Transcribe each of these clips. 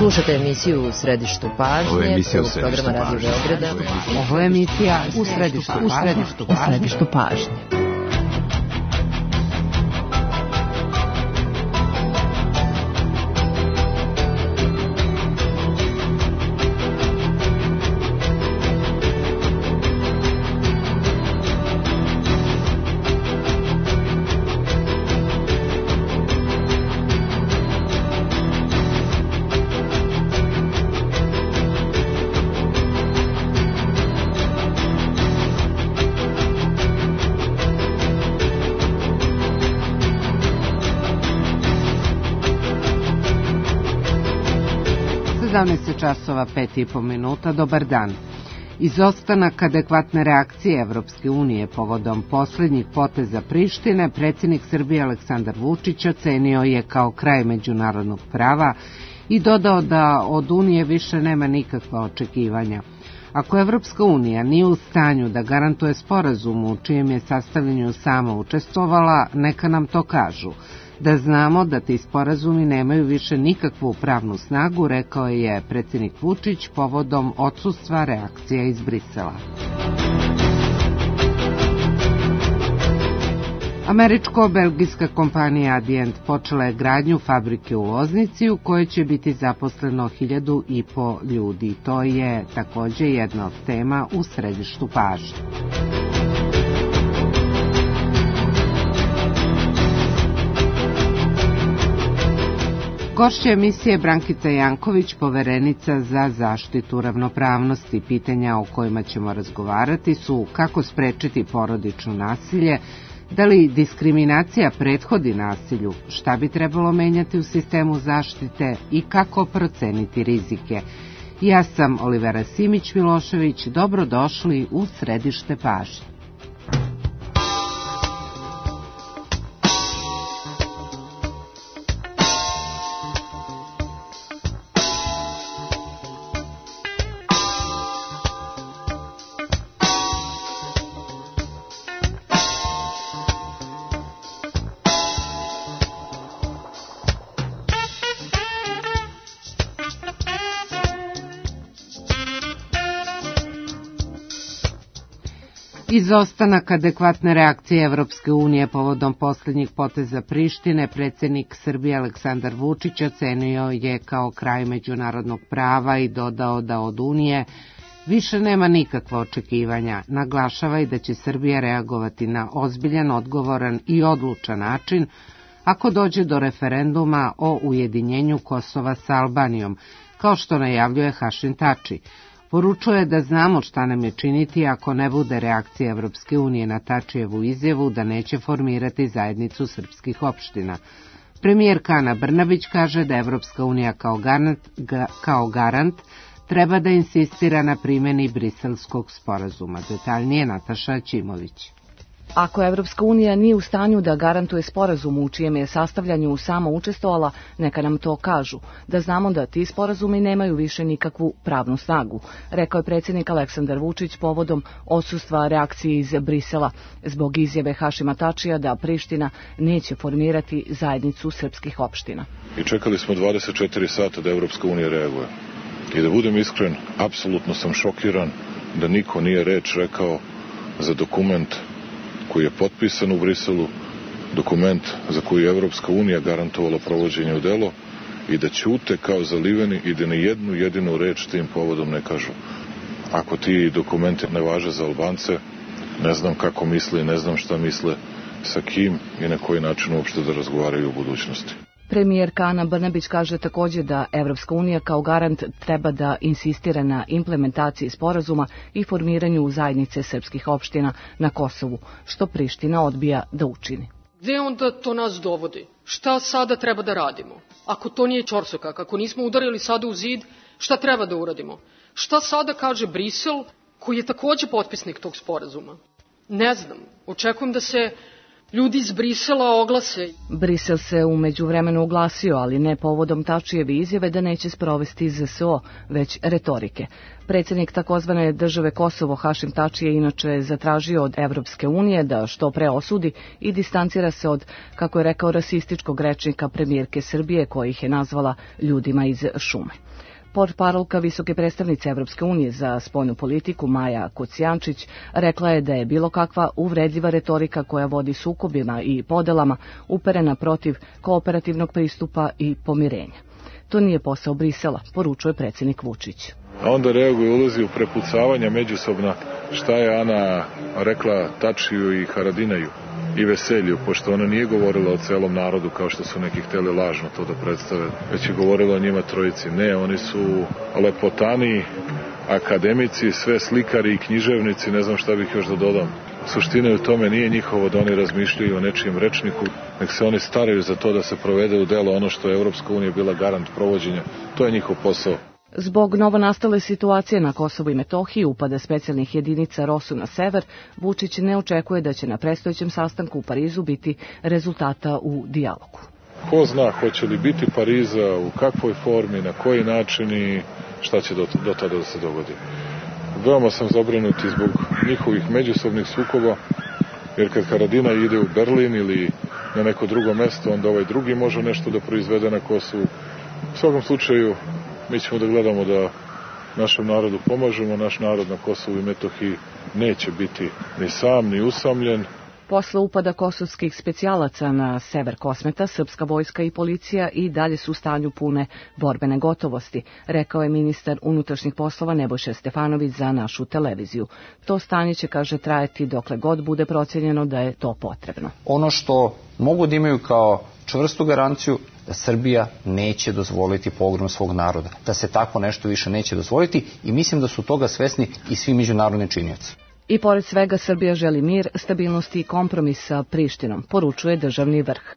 Slušate emisiju U središtu pažnje, programa Radio Beograda. Ovo je emisija U središtu pažnje. Časova 5,5 minuta. Dobar dan. Izostanak adekvatne reakcije Evropske unije povodom posljednjih poteza Prištine predsjednik Srbije Aleksandar Vučić ocenio je kao kraj međunarodnog prava i dodao da od Unije više nema nikakva očekivanja. Ako Evropska unija nije u stanju da garantuje sporazum u čijem je sastavljanju sama učestvovala, neka nam to kažu. Da znamo da ti sporazumi nemaju više nikakvu pravnu snagu, rekao je predsjednik Vučić povodom odsustva reakcija iz Brisela. Američko-belgijska kompanija Adient počela je gradnju fabrike u Loznici u kojoj će biti zaposleno 1.500 ljudi. To je također jedna od tema u središtu pažnje. Gošća emisije Brankica Janković, poverenica za zaštitu ravnopravnosti. Pitanja o kojima ćemo razgovarati su kako sprečiti porodično nasilje, da li diskriminacija prethodi nasilju, šta bi trebalo menjati u sistemu zaštite i kako proceniti rizike. Ja sam Olivera Simić-Milošević, dobrodošli u središte pažnje. Izostanak adekvatne reakcije Evropske unije povodom posljednjih poteza Prištine predsjednik Srbije Aleksandar Vučić ocenio je kao kraj međunarodnog prava i dodao da od Unije više nema nikakva očekivanja. Naglašava i da će Srbija reagovati na ozbiljan, odgovoran i odlučan način ako dođe do referenduma o ujedinjenju Kosova sa Albanijom, kao što najavljuje Hašim Tači. Poručuje da znamo šta nam je činiti ako ne bude reakcija Evropske unije na Tačijevu izjavu da neće formirati zajednicu srpskih opština. Premijerka Ana Brnabić kaže da Evropska unija kao garant treba da insistira na primjeni Briselskog sporazuma. Detaljnije Nataša Ćimović. Ako Evropska unija nije u stanju da garantuje sporazum u čijem je sastavljanju samo učestvovala, neka nam to kažu, da znamo da ti sporazumi nemaju više nikakvu pravnu snagu, rekao je predsjednik Aleksandar Vučić povodom odsustva reakcije iz Brisela zbog izjave Hašima Tačija da Priština neće formirati zajednicu srpskih opština. I čekali smo 24 sata da Evropska unija reaguje. I da budem iskren, apsolutno sam šokiran da niko nije reč rekao za dokument koji je potpisan u Briselu, dokument za koji je Evropska unija garantovala provođenje u delo i da ćute kao zaliveni i da ni jednu jedinu reč tim povodom ne kažu. Ako ti dokumenti ne važe za Albance, ne znam kako misle i ne znam šta misle, sa kim i na koji način uopšte da razgovaraju u budućnosti. Premijerka Ana Brnabić kaže također da Evropska unija kao garant treba da insistira na implementaciji sporazuma i formiranju zajednice srpskih opština na Kosovu, što Priština odbija da učini. Gde onda to nas dovodi? Šta sada treba da radimo? Ako to nije ćorsokak, ako nismo udarili sada u zid, šta treba da uradimo? Šta sada kaže Brisel, koji je također potpisnik tog sporazuma? Ne znam. Očekujem da se ljudi iz Brisela oglase. Brisel se u međuvremenu oglasio, ali ne povodom Tačijeve izjave da neće sprovesti ZSO, već retorike. Predsjednik takozvane države Kosovo Hašim Tači je inače zatražio od Evropske unije da što pre osudi i distancira se od, kako je rekao, rasističkog rečnika premijerke Srbije, koja ih je nazvala ljudima iz šume. Portparolka visoke predstavnice Evropske unije za spoljnu politiku Maja Kocijančić rekla je da je bilo kakva uvredljiva retorika koja vodi sukobima i podelama uperena protiv kooperativnog pristupa i pomirenja. To nije posao Brisela, poručuje predsjednik Vučić. A onda reaguje, ulazi u prepucavanja međusobna šta je Ana rekla Tačiju i Haradinaju i Veselju, pošto ona nije govorila o celom narodu kao što su neki hteli lažno to da predstave, već je govorila o njima trojici. Ne, oni su lepotani, akademici, sve slikari i književnici, ne znam šta bih još da dodam. Suština je u tome, nije njihovo da oni razmišljaju o nečijem rečniku, nek se oni staraju za to da se provede u delo ono što je Evropska unija bila garant provođenja. To je njihov posao. Zbog novonastale situacije na Kosovu i Metohiji, upada specijalnih jedinica ROSU na sever, Vučić ne očekuje da će na predstojećem sastanku u Parizu biti rezultata u dijalogu. Ko zna, hoće li biti Pariza, u kakvoj formi, na koji način i šta će do tada da se dogodi. Veoma sam zabrinuti zbog njihovih međusobnih sukoba, jer kad Haradina ide u Berlin ili na neko drugo mesto, onda ovaj drugi može nešto da proizvede na Kosovu. U svakom slučaju, mi ćemo da gledamo da našem narodu pomažemo, naš narod na Kosovu i Metohiji neće biti ni sam, ni usamljen. Posle upada kosovskih specijalaca na sever Kosmeta, srpska vojska i policija i dalje su u stanju pune borbene gotovosti, rekao je ministar unutrašnjih poslova Nebojša Stefanović za našu televiziju. To stanje će, kaže, trajati dokle god bude procijenjeno da je to potrebno. Ono što mogu da imaju kao čvrstu garanciju da Srbija neće dozvoliti pogrom svog naroda, da se tako nešto više neće dozvoliti i mislim da su toga svesni i svi međunarodni činioci. I pored svega Srbija želi mir, stabilnost i kompromis sa Prištinom, poručuje državni vrh.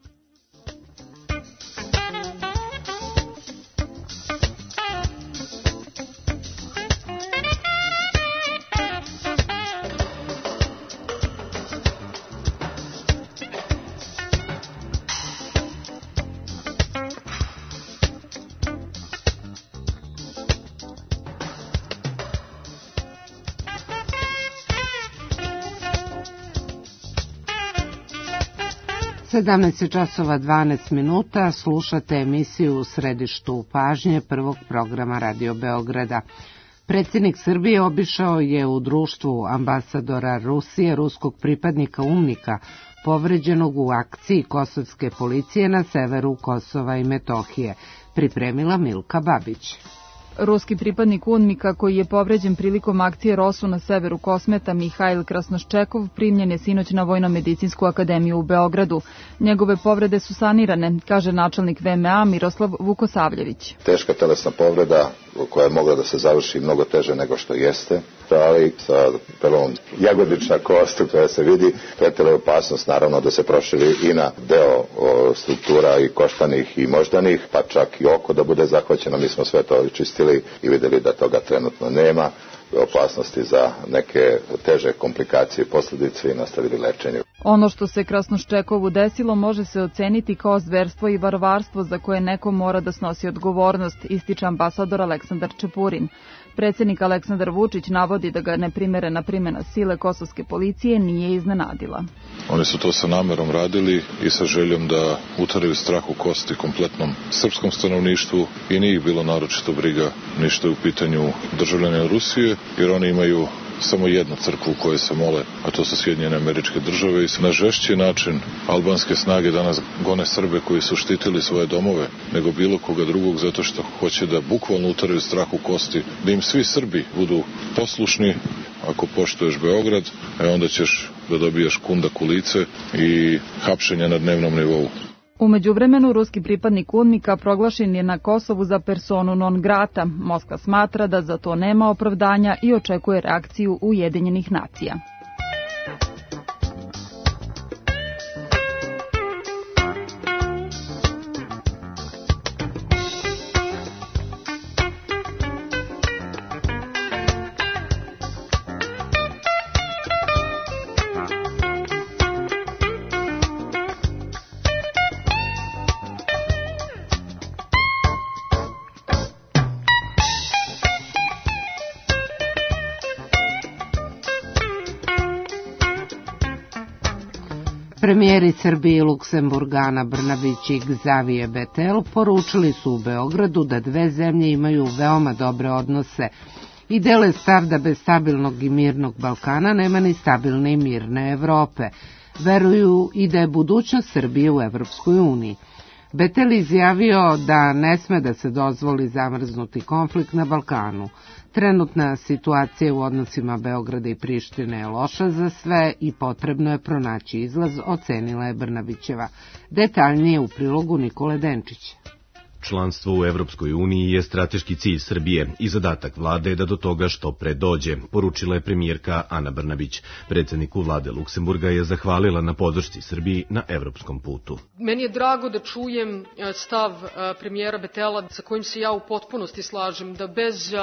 časova 12 minuta, slušate emisiju U središtu pažnje prvog programa Radio Beograda. Predsjednik Srbije obišao je u društvu ambasadora Rusije ruskog pripadnika UNMIK-a povređenog u akciji kosovske policije na severu Kosova i Metohije, pripremila Milka Babić. Ruski pripadnik UNMIK-a koji je povređen prilikom akcije ROSU na severu Kosmeta, Mihajl Krasnoščekov, primljen je sinoć na Vojno-medicinsku akademiju u Beogradu. Njegove povrede su sanirane, kaže načelnik VMA Miroslav Vukosavljević. Teška telesna povreda koja je mogla da se završi mnogo teže nego što jeste, ali sa prvom jagodična kost koja se vidi, pretila je opasnost naravno da se proširi i na deo struktura i koštanih i moždanih, pa čak i oko da bude zahvaćeno. Mi smo sve to čistili i videli da toga trenutno nema, opasnosti za neke teže komplikacije i posljedice i nastavili lečenje. Ono što se Krasnoščekovu desilo može se oceniti kao zverstvo i varvarstvo za koje neko mora da snosi odgovornost, ističe ambasador Aleksandar Čepurin. Predsjednik Aleksandar Vučić navodi da ga neprimerena primjena sile kosovske policije nije iznenadila. Oni su to sa namerom radili i sa željom da utaraju strah u kosti kompletnom srpskom stanovništvu i nije ih bilo naročito briga ništa u pitanju državljana Rusije, jer oni imaju samo jednu crkvu u kojoj se mole, a to su Sjedinjene Američke Države i na žešći način albanske snage danas gone Srbe koji su štitili svoje domove nego bilo koga drugog zato što hoće da bukvalno utaraju strah u kosti, da im svi Srbi budu poslušni. Ako poštuješ Beograd, onda ćeš da dobijaš kundak u lice i hapšenja na dnevnom nivou. U međuvremenu, ruski pripadnik UNMIK-a proglašen je na Kosovu za personu non grata. Moskva smatra da za to nema opravdanja i očekuje reakciju Ujedinjenih nacija. Premijeri Srbije i Luksemburga Ana Brnabić i Xavier Bettel poručili su u Beogradu da dve zemlje imaju veoma dobre odnose i dele stav da bez stabilnog i mirnog Balkana nema ni stabilne i mirne Evrope. Veruju i da je budućnost Srbije u Evropskoj uniji. Bettel izjavio da ne sme da se dozvoli zamrznuti konflikt na Balkanu. Trenutna situacija u odnosima Beograda i Prištine je loša za sve i potrebno je pronaći izlaz, ocenila je Brnabićeva. Detaljnije u prilogu Nikole Denčića. Članstvo u Evropskoj uniji je strateški cilj Srbije i zadatak vlade je da do toga što pre dođe, poručila je premijerka Ana Brnabić. Predsedniku vlade Luksemburga je zahvalila na podršci Srbiji na evropskom putu. Meni je drago da čujem stav premijera Bettela sa kojim se ja u potpunosti slažem, da bez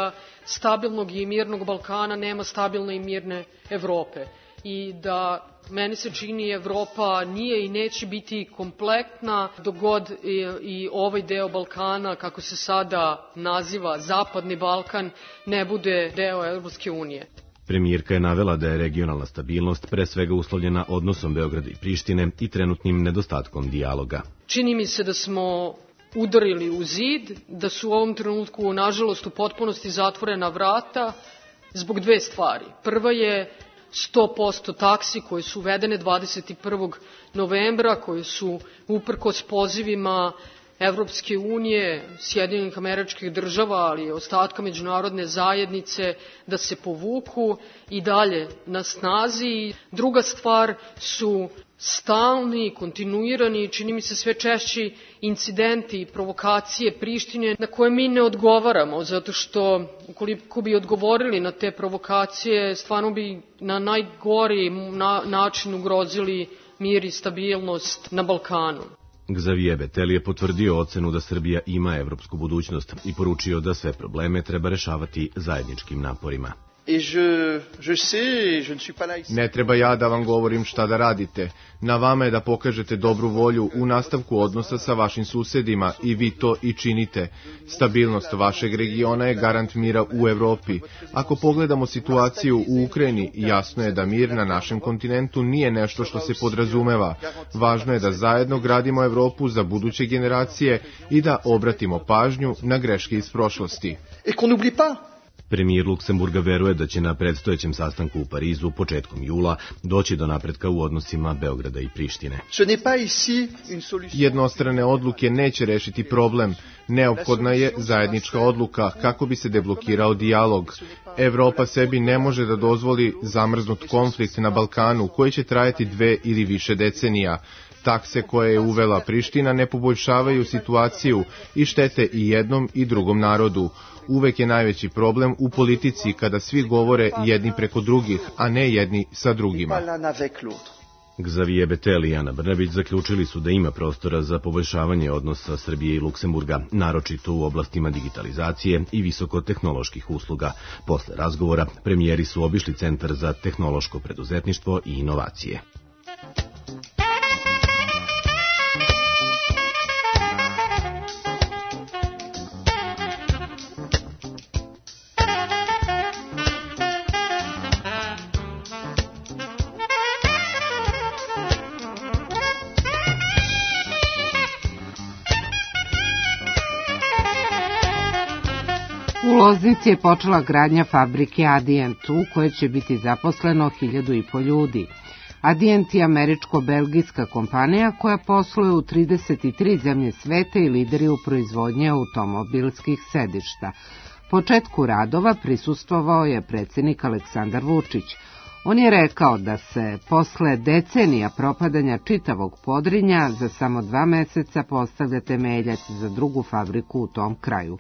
stabilnog i mirnog Balkana nema stabilne i mirne Evrope. I da meni se čini Evropa nije i neće biti kompletna dok god i ovaj deo Balkana, kako se sada naziva Zapadni Balkan, ne bude deo Evropske unije. Premijerka je navela da je regionalna stabilnost pre svega uslovljena odnosom Beograda i Prištine i trenutnim nedostatkom dijaloga. Čini mi se da smo udarili u zid, da su u ovom trenutku, nažalost, u potpunosti zatvorena vrata zbog dve stvari. Prva je 100% taksi koje su uvedene 21. novembra, koje su uprkos pozivima Evropske unije, Sjedinjenih Američkih Država, ali i ostatka međunarodne zajednice da se povuku i dalje na snazi. Druga stvar su stalni, kontinuirani, čini mi se sve češći incidenti i provokacije Prištine na koje mi ne odgovaramo, zato što ukoliko bi odgovorili na te provokacije, stvarno bi na najgori način ugrozili mir i stabilnost na Balkanu. Xavier Bettel je potvrdio ocenu da Srbija ima evropsku budućnost i poručio da sve probleme treba rešavati zajedničkim naporima. Ne treba ja da vam govorim šta da radite. Na vama je da pokažete dobru volju u nastavku odnosa sa vašim susedima i vi to i činite. Stabilnost vašeg regiona je garant mira u Evropi. Ako pogledamo situaciju u Ukrajini, jasno je da mir na našem kontinentu nije nešto što se podrazumeva. Važno je da zajedno gradimo Evropu za buduće generacije i da obratimo pažnju na greške iz prošlosti. Premijer Luksemburga veruje da će na predstojećem sastanku u Parizu početkom jula doći do napretka u odnosima Beograda i Prištine. Jednostrane odluke neće rešiti problem. Neophodna je zajednička odluka kako bi se deblokirao dijalog. Evropa sebi ne može da dozvoli zamrznut konflikt na Balkanu koji će trajati 2 ili više decenija. Takse koje je uvela Priština ne poboljšavaju situaciju i štete i jednom i drugom narodu. Uvek je najveći problem u politici kada svi govore jedni preko drugih, a ne jedni sa drugima. Xavier Bettel i Ana Brnabić zaključili su da ima prostora za poboljšavanje odnosa Srbije i Luksemburga, naročito u oblastima digitalizacije i visokotehnoloških usluga. Posle razgovora, premijeri su obišli Centar za tehnološko preduzetništvo i inovacije. U Loznici je počela gradnja fabrike Adient, u kojoj će biti zaposleno 1.500 ljudi. Adient je američko-belgijska kompanija koja posluje u 33 zemlje sveta i lideri u proizvodnji automobilskih sedišta. Početku radova prisustvovao je predsjednik Aleksandar Vučić. On je rekao da se posle decenija propadanja čitavog Podrinja za samo 2 meseca postavlja temeljac za drugu fabriku u tom kraju.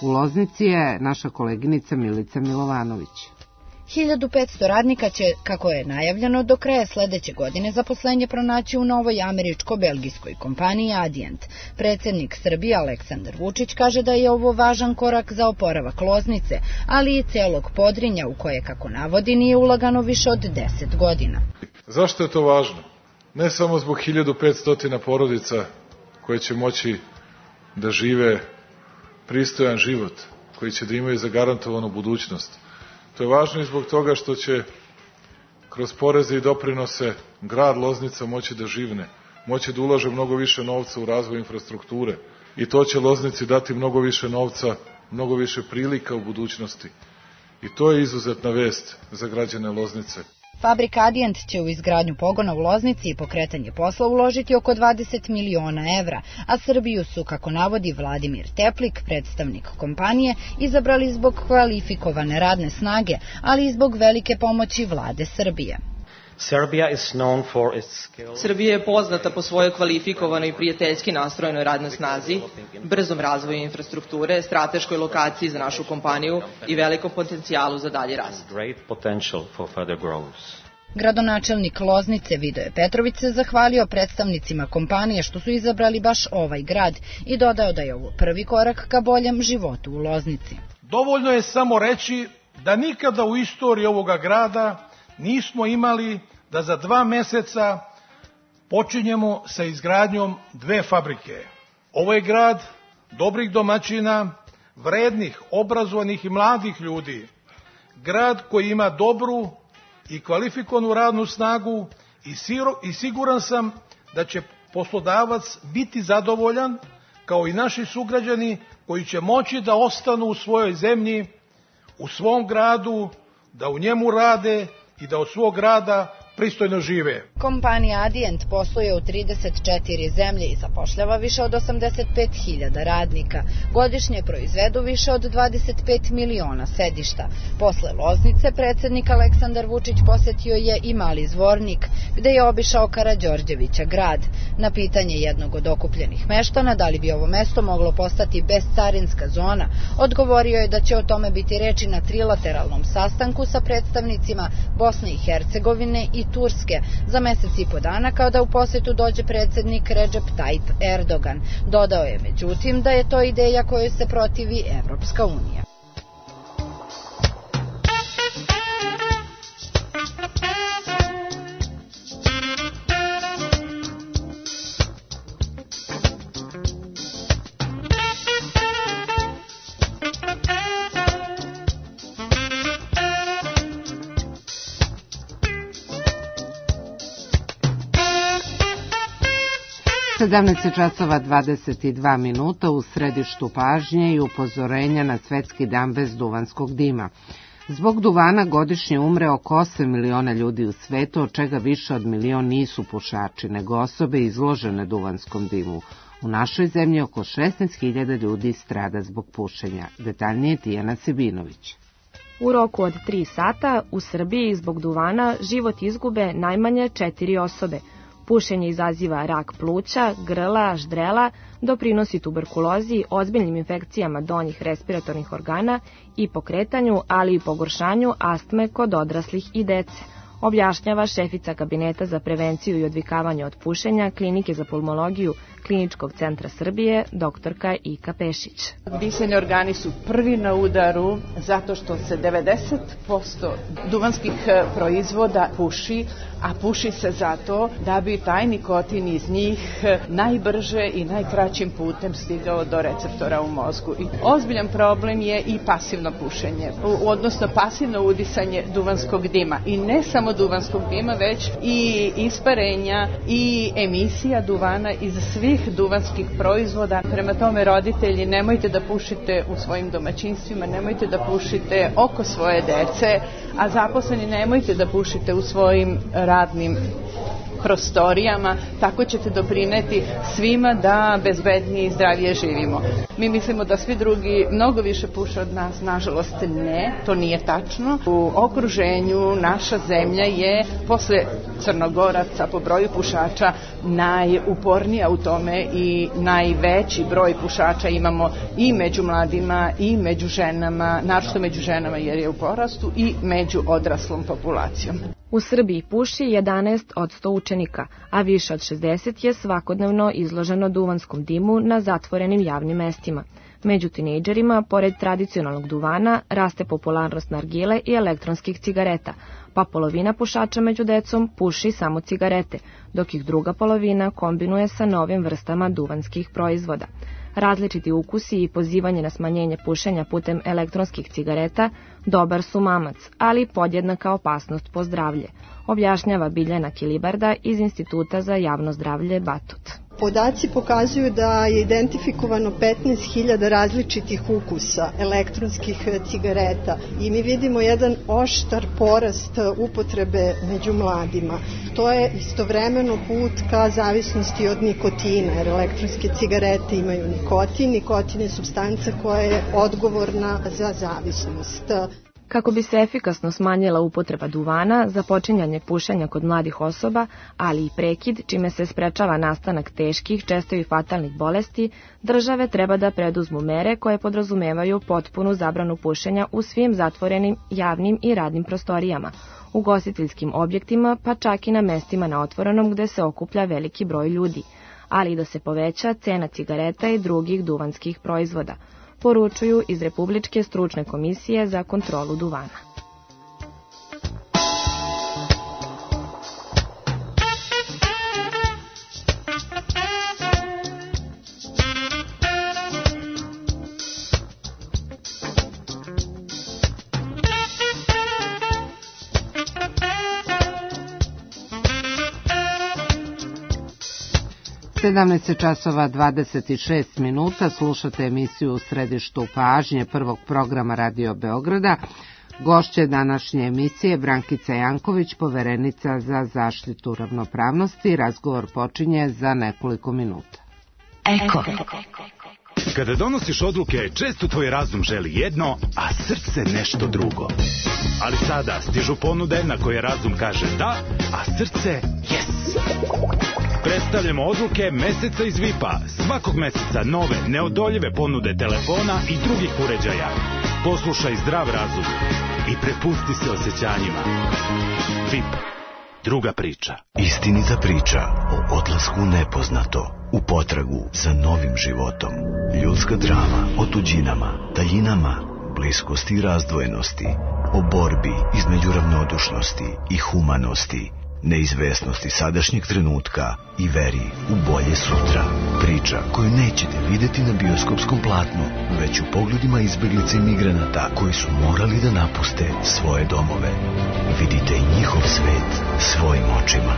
U Loznici je naša koleginica Milica Milovanović. 1500 radnika će, kako je najavljeno, do kraja sledeće godine zaposlenje pronaći u novoj američko-belgijskoj kompaniji Adient. Predsjednik Srbije Aleksandar Vučić kaže da je ovo važan korak za oporavak Loznice, ali i celog Podrinja u koje, kako navodi, nije ulagano više od 10 godina. Zašto je to važno? Ne samo zbog 1500 porodica koje će moći da žive pristojan život, koji će da imaju zagarantovanu budućnost. To je važno i zbog toga što će kroz poreze i doprinose grad Loznica moći da živne, moći da ulaže mnogo više novca u razvoj infrastrukture i to će Loznici dati mnogo više novca, mnogo više prilika u budućnosti. I to je izuzetna vest za građane Loznice. Fabrika Adient će u izgradnju pogona u Loznici i pokretanje posla uložiti oko 20 miliona evra, a Srbiju su, kako navodi Vladimir Teplik, predstavnik kompanije, izabrali zbog kvalifikovane radne snage, ali i zbog velike pomoći vlade Srbije. Srbija je poznata po svojoj kvalifikovanoj i prijateljski nastrojenoj radnoj snazi, brzom razvoju infrastrukture, strateškoj lokaciji za našu kompaniju i velikom potencijalu za dalji rast. Gradonačelnik Loznice Vidoje Petrović se zahvalio predstavnicima kompanije što su izabrali baš ovaj grad i dodao da je ovo prvi korak ka boljem životu u Loznici. Dovoljno je samo reći da nikada u istoriji ovoga grada nismo imali da za 2 meseca počinjemo sa izgradnjom 2 fabrike. Ovo je grad dobrih domaćina, vrednih, obrazovanih i mladih ljudi. Grad koji ima dobru i kvalifikovanu radnu snagu i siguran sam da će poslodavac biti zadovoljan, kao i naši sugrađani koji će moći da ostanu u svojoj zemlji, u svom gradu, da u njemu rade i da od svog rada pristojno žive. Kompanija Adient posluje u 34 zemlje i zapošljava više od 85.000 radnika. Godišnje proizvedu više od 25 miliona sedišta. Posle Loznice, predsednik Aleksandar Vučić posetio je i Mali Zvornik, gde je obišao Karađorđevića grad. Na pitanje jednog od okupljenih meštana da li bi ovo mesto moglo postati bescarinska zona, odgovorio je da će o tome biti reči na trilateralnom sastanku sa predstavnicima Bosne i Hercegovine i Turske za mesec i po dana kada u posetu dođe predsednik Recep Tayyip Erdogan. Dodao je međutim da je to ideja kojoj se protivi Evropska unija. časova 22 minuta u središtu pažnje i upozorenja na Svetski dan bez duvanskog dima. Zbog duvana godišnje umre oko 8 miliona ljudi u svetu, od čega više od milion nisu pušači, nego osobe izložene duvanskom dimu. U našoj zemlji oko 16.000 ljudi strada zbog pušenja. Detaljnije Tijana Sebinović. U roku od 3 sata u Srbiji zbog duvana život izgube najmanje 4 osobe. Pušenje izaziva rak pluća, grla, ždrela, doprinosi tuberkulozi, ozbiljnim infekcijama donjih respiratornih organa i pokretanju, ali i pogoršanju astme kod odraslih i dece, objašnjava šefica Kabineta za prevenciju i odvikavanje od pušenja Klinike za pulmologiju Kliničkog centra Srbije, doktorka Ika Pešić. Disajni organi su prvi na udaru zato što se 90% duvanskih proizvoda puši, a puši se zato da bi taj nikotin iz njih najbrže i najkraćim putem stigao do receptora u mozgu. I ozbiljan problem je i pasivno pušenje, odnosno pasivno udisanje duvanskog dima. I ne samo duvanskog dima, već i isparenja i emisija duvana iz svih duvanskih proizvoda. Prema tome, roditelji, nemojte da pušite u svojim domaćinstvima, nemojte da pušite oko svoje dece, a zaposleni nemojte da pušite u svojim radnim prostorijama, tako ćete doprineti svima da bezbednije i zdravije živimo. Mi mislimo da svi drugi mnogo više puše od nas, nažalost ne, to nije tačno. U okruženju naša zemlja je posle Crnogoraca po broju pušača najupornija u tome i najveći broj pušača imamo i među mladima i među ženama, naročito među ženama jer je u porastu, i među odraslom populacijom. U Srbiji puši 11 od 100 učenika, a više od 60 je svakodnevno izloženo duvanskom dimu na zatvorenim javnim mestima. Među tinejdžerima, pored tradicionalnog duvana, raste popularnost nargile i elektronskih cigareta, pa polovina pušača među decom puši samo cigarete, dok ih druga polovina kombinuje sa novim vrstama duvanskih proizvoda. Različiti ukusi i pozivanje na smanjenje pušenja putem elektronskih cigareta dobar su mamac, ali podjednaka opasnost po zdravlje, objašnjava Biljana Kilibarda iz Instituta za javno zdravlje Batut. Podaci pokazuju da je identifikovano 15.000 različitih ukusa elektronskih cigareta i mi vidimo jedan oštar porast upotrebe među mladima. To je istovremeno put ka zavisnosti od nikotina, jer elektronske cigarete imaju nikotin. Nikotin je supstanca koja je odgovorna za zavisnost. Kako bi se efikasno smanjila upotreba duvana, započinjanje pušenja kod mladih osoba, ali i prekid, čime se sprečava nastanak teških, često i fatalnih bolesti, države treba da preduzmu mere koje podrazumevaju potpunu zabranu pušenja u svim zatvorenim javnim i radnim prostorijama, ugostiteljskim objektima, pa čak i na mestima na otvorenom gde se okuplja veliki broj ljudi, ali i da se poveća cena cigareta i drugih duvanskih proizvoda, poručuju iz Republičke stručne komisije za kontrolu duvana. časova 26 minuta, slušate emisiju U središtu pažnje prvog programa Radio Beograda. Gošće današnje emisije Brankica Janković, poverenica za zaštitu ravnopravnosti. Razgovor počinje za nekoliko minuta. Eko. Kada donosiš odluke, često tvoj razum želi jedno, a srce nešto drugo. Ali sada stižu ponude na koje razum kaže da, a srce yes. Predstavljamo odluke meseca iz VIP-a. Svakog meseca nove, neodoljive ponude telefona i drugih uređaja. Poslušaj zdrav razum i prepusti se osjećanjima. VIP. Druga priča. Istinita priča o odlasku u nepoznato, u potragu za novim životom. Ljudska drama o tuđinama, daljinama, bliskosti i razdvojenosti, o borbi između ravnodušnosti i humanosti, neizvesnosti sadašnjeg trenutka i veri u bolje sutra. Priča koju nećete vidjeti na bioskopskom platnu, već u pogledima izbeglica i migranata koji su morali da napuste svoje domove. Vidite i njihov svet svojim očima.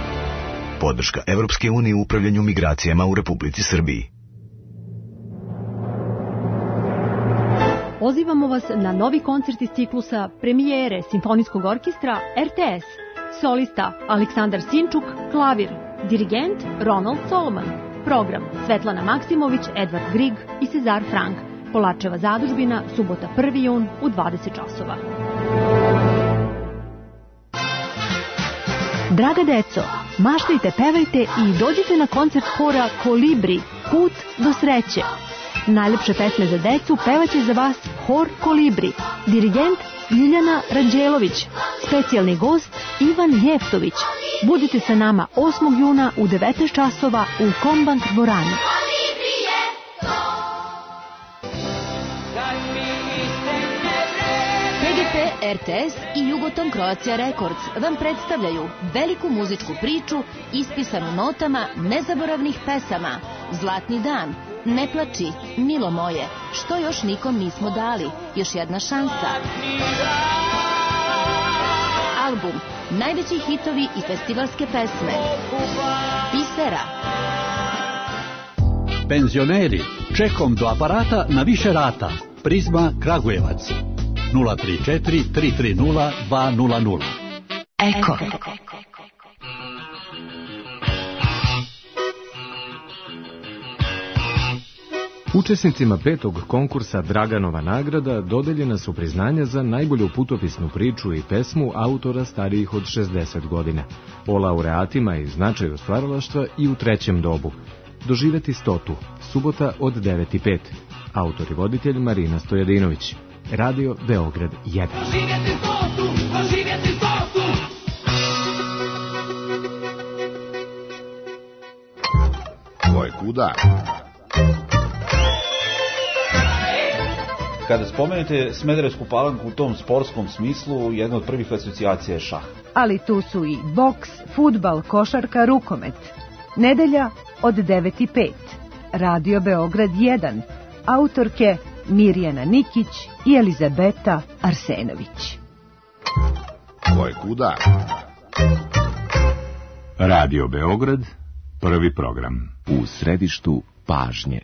Podrška Evropske unije u upravljanju migracijama u Republici Srbiji. Pozivamo vas na novi koncert iz ciklusa premijere Simfonijskog orkestra RTS. Solista Aleksandar Sinčuk, klavir. Dirigent Ronald Solomon. Program Svetlana Maksimović, Edvard Grig i Cezar Frank. Polačeva zadužbina, subota 1. jun u 20 časova. Draga deco, maštajte, pevajte i dođite na koncert hora Kolibri, Put do sreće. Najlepše pesme za decu pevaće za vas hor Kolibri. Dirigent Ljiljana Ranđelović, specijalni gost Ivan Jeftović. Budite sa nama 8. juna u 19 časova u Kombank dvorani. PGP, RTS i Jugoton Croatia Records vam predstavljaju veliku muzičku priču ispisanu notama nezaboravnih pesama. Zlatni dan, Ne plači, milo moje, što još nikom nismo dali, još jedna šansa. Album, najveći hitovi i festivalske pesme. Pisera. Penzioneri, čekom do aparata na više rata. Prizma Kragujevac. 034 330 200. Eko. Učesnicima 5. konkursa Draganova nagrada dodeljena su priznanja za najbolju putopisnu priču i pesmu autora starijih od 60 godina. O laureatima i značaju stvaralaštva i u trećem dobu. Doživeti 100. Subota od 9:05. Autor i voditelj Marina Stojadinović. Radio Beograd 1. Doživjeti 100. Doživjeti 100. Ko je kuda? Kada spomenete Smederevsku Palanku u tom sportskom smislu, jedna od prvih asocijacija je šah. Ali tu su i boks, fudbal, košarka, rukomet. Nedelja od 9:05. Radio Beograd 1, autorke Mirjana Nikić i Elizabeta Arsenović. Ko je kuda? Radio Beograd, prvi program. U središtu pažnje.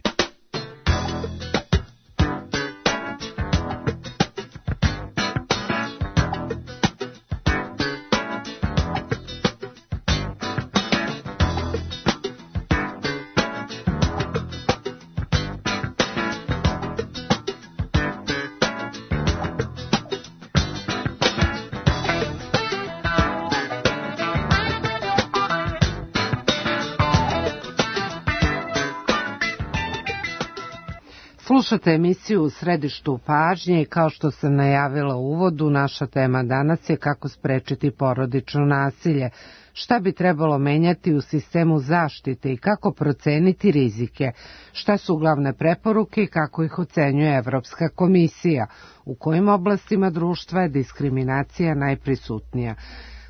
Slušate emisiju U središtu pažnje i kao što sam najavila u uvodu, naša tema danas je kako sprečiti porodično nasilje, šta bi trebalo menjati u sistemu zaštite i kako proceniti rizike, šta su glavne preporuke i kako ih ocenjuje Evropska komisija, u kojim oblastima društva je diskriminacija najprisutnija.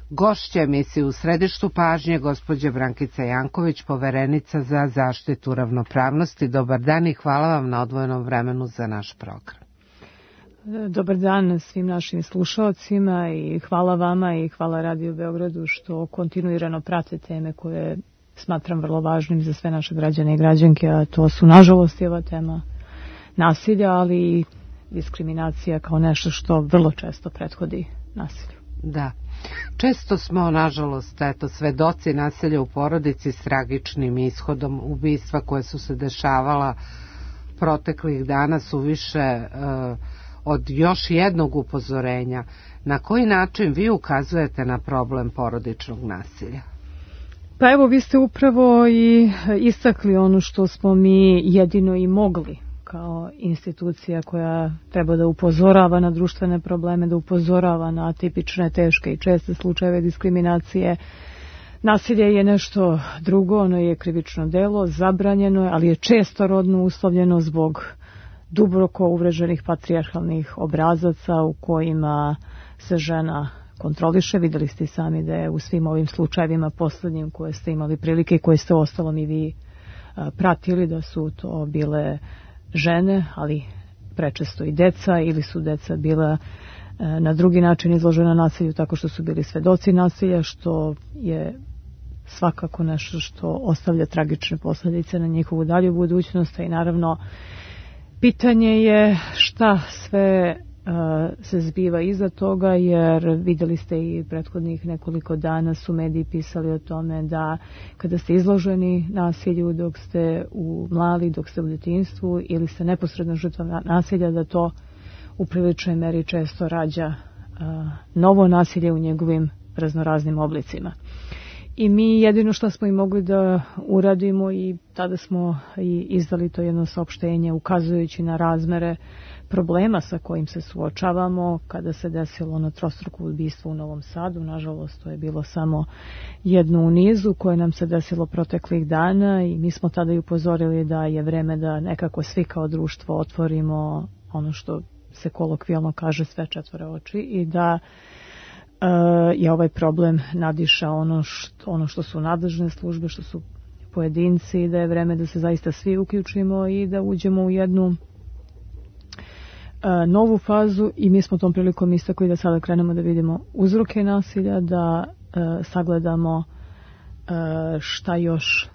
Gošća emisije U središtu pažnje gospođa Brankica Janković, poverenica za zaštitu ravnopravnosti. Dobar dan i hvala vam na odvojenom vremenu za naš program. Dobar dan svim našim slušalcima i hvala vama i hvala Radio Beogradu što kontinuirano prate teme koje smatram vrlo važnim za sve naše građane i građanke, a to su nažalost i ova tema nasilja, ali i diskriminacija kao nešto što vrlo često prethodi nasilju. Da. Često smo, nažalost, svedoci nasilja u porodici s tragičnim ishodom. Ubistva koje su se dešavala proteklih dana su više od još jednog upozorenja. Na koji način vi ukazujete na problem porodičnog nasilja? Pa evo, vi ste upravo i istakli ono što smo mi jedino i mogli kao institucija koja treba da upozorava na društvene probleme, da upozorava na atipične, teške i česte slučajeve diskriminacije. Nasilje je nešto drugo, ono je krivično delo, zabranjeno je, ali je često rodno uslovljeno zbog duboko uvreženih patrijarhalnih obrazaca u kojima se žena kontroliše. Videli ste sami da je u svim ovim slučajevima poslednjim koje ste imali prilike i koje ste ostalom i vi pratili, da su to bile žene, ali prečesto i deca, ili su deca bila na drugi način izložena nasilju tako što su bili svedoci nasilja, što je svakako nešto što ostavlja tragične posljedice na njihovu dalju budućnost. I naravno pitanje je šta sve se zbiva iza toga, jer vidjeli ste i prethodnih nekoliko dana su mediji pisali o tome da kada ste izloženi nasilju dok ste mladi, dok ste u djetinjstvu ili ste neposredno žrtva nasilja, da to u priličnoj meri često rađa novo nasilje u njegovim raznoraznim oblicima. I mi jedino što smo i mogli da uradimo, i tada smo i izdali to jedno saopštenje ukazujući na razmere problema sa kojim se suočavamo kada se desilo ono trostruko ubistvo u Novom Sadu. Nažalost, to je bilo samo jedno u nizu koje nam se desilo proteklih dana i mi smo tada i upozorili da je vreme da nekako svi kao društvo otvorimo ono što se kolokvijalno kaže sve četvore oči i da je ovaj problem nadiša ono što su nadležne službe, što su pojedinci, i da je vreme da se zaista svi uključimo i da uđemo u jednu novu fazu. I mi smo tom prilikom istakli da sada krenemo da vidimo uzroke nasilja, da sagledamo šta još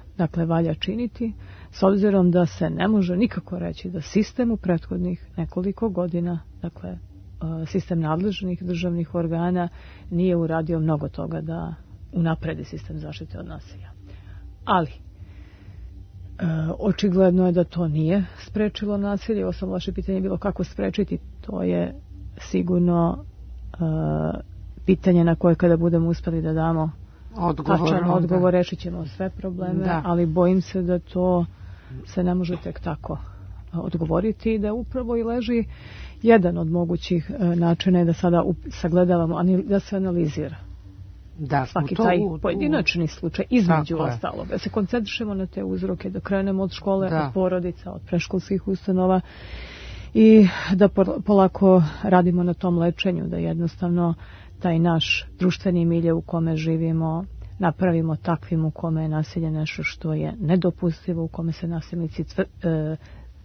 valja činiti, s obzirom da se ne može nikako reći da sistem u prethodnih nekoliko godina, sistem nadležnih državnih organa nije uradio mnogo toga da unapredi sistem zaštite od nasilja. Ali očigledno je da to nije sprečilo nasilje. Ovo samo vaše pitanje je bilo kako sprečiti. To je sigurno pitanje na koje kada budemo uspeli da damo tačan odgovor, rešit ćemo sve probleme, ali bojim se da to se ne može tek tako odgovoriti i da upravo i leži jedan od mogućih načina je da sada sagledavamo, da se analizira svaki taj pojedinačni slučaj između ostalog. Da se koncentrišemo na te uzroke, da krenemo od škole, od porodica, od preškolskih ustanova i da polako radimo na tom lečenju, da jednostavno taj naš društveni milje u kome živimo napravimo takvim u kome je nasilje nešto što je nedopustivo, u kome se nasilnici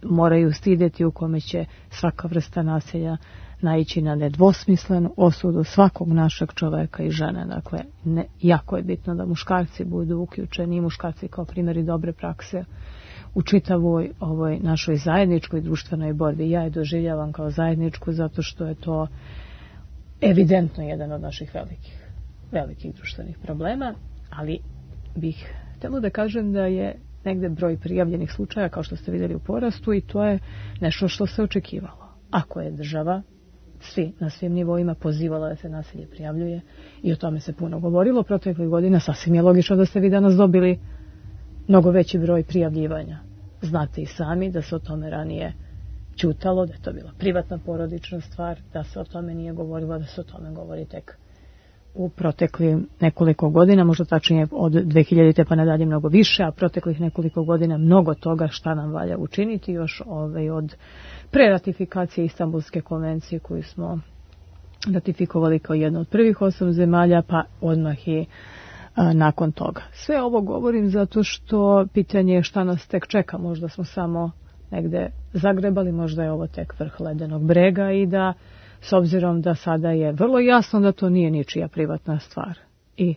moraju stideti, u kome će svaka vrsta nasilja naići na nedvosmislenu osudu svakog našeg čoveka i žene. Dakle, jako je bitno da muškarci budu uključeni i muškarci kao primjeri dobre prakse u čitavoj ovoj našoj zajedničkoj društvenoj borbi. Ja je doživljavam kao zajedničku zato što je to evidentno jedan od naših velikih društvenih problema, ali bih htjela da kažem da je negde broj prijavljenih slučaja, kao što ste vidjeli, u porastu i to je nešto što se očekivalo. Ako je država na svim nivoima pozivala da se nasilje prijavljuje i o tome se puno govorilo proteklih godina, sasvim je logično da ste vi danas dobili mnogo veći broj prijavljivanja. Znate i sami da se o tome ranije ćutalo, da je to bila privatna porodična stvar, da se o tome nije govorilo, da se o tome govori tek u proteklih nekoliko godina, možda tačnije od 2000. pa nadalje mnogo više, a proteklih nekoliko godina mnogo toga šta nam valja učiniti još od preratifikacije Istanbulske konvencije koju smo ratifikovali kao jedno od prvih 8 zemalja, pa odmah i nakon toga. Sve ovo govorim zato što pitanje je šta nas tek čeka, možda smo samo negde zagrebali, možda je ovo tek vrh ledenog brega i da s obzirom da sada je vrlo jasno da to nije ničija privatna stvar i